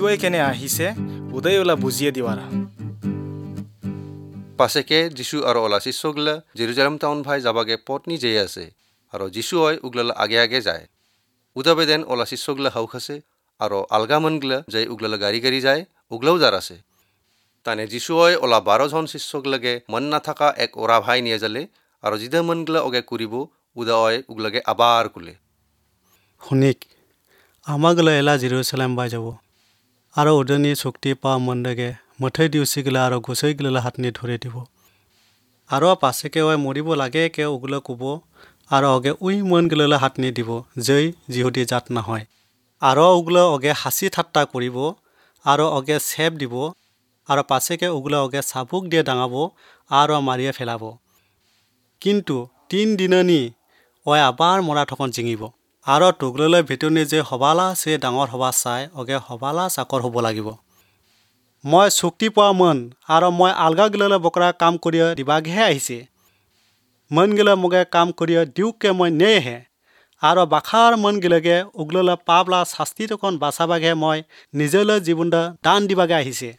যিচুৱে কেনে আহিছে উদয় ওলা বুজিয়ে দিৱাৰা। পাছেকে যিচু আৰু ওলা শিষ্যগিলা জেৰুজালেম টাউন ভাই যাবাগে পত্নী যেয়ে আছে আৰু যিচুৱে উগলালা আগে আগে যায়। উদাবেদেন ওলা শিষ্যগিলা হাউখ আছে আৰু আলগা মনগিলা যাই উগলালা গাড়ী গাড়ী যায় উগলাও যাৰ আছে। তানে যিচুৱে ওলা 12জন শিষ্যগিলাগে মন নাথাকা এক ওৰা ভাই নিয়ে যালে আৰু জিদা মনগিলা অগে কৰিব উদা অয় উগলাগে আবাৰ কুলে। শুনিক, আমাগিলা এলা জেৰুজালেম বাই যাব আৰু উদনি চুক্তি পোৱা মনদাগে মথৈ দিউচিগিলা আৰু গুচৈগিলা হাতনি ধৰি দিব আৰু পাছেকে অই মৰিব লাগে কে উগলা ক'ব আৰু অগে উই মন গিলা হাতনি দিব জৈ যিহুদী জাত নহয় আৰু উগলা অগে হাঁচি ঠাট্টা কৰিব আৰু অগে চেপ দিব আৰু পাছেকে উগলা অগে চাবুক দিয়ে ডাঙাব আৰু মাৰিয়ে ফেলাব। কিন্তু 3 দিননি অই আবাৰ মৰা থকন জিঙিব আৰু টুগললৈ ভিতৰণি যে সবালা চে ডাঙৰ সভা চাই অগে সবালা চাকৰ হ'ব লাগিব। মই চুক্তি পোৱা মন আৰু মই আলগা গিলালৈ বকৰা কাম কৰি দিবাগেহে আহিছে। মন গিলা মোগে কাম কৰি দিওকে মই নেহে আৰু বাখাৰ মন গিলাগে উগললৈ পাবলা শাস্তি তকন বাচাবাগেহে মই নিজলৈ জীৱন দান দিবাগে আহিছে।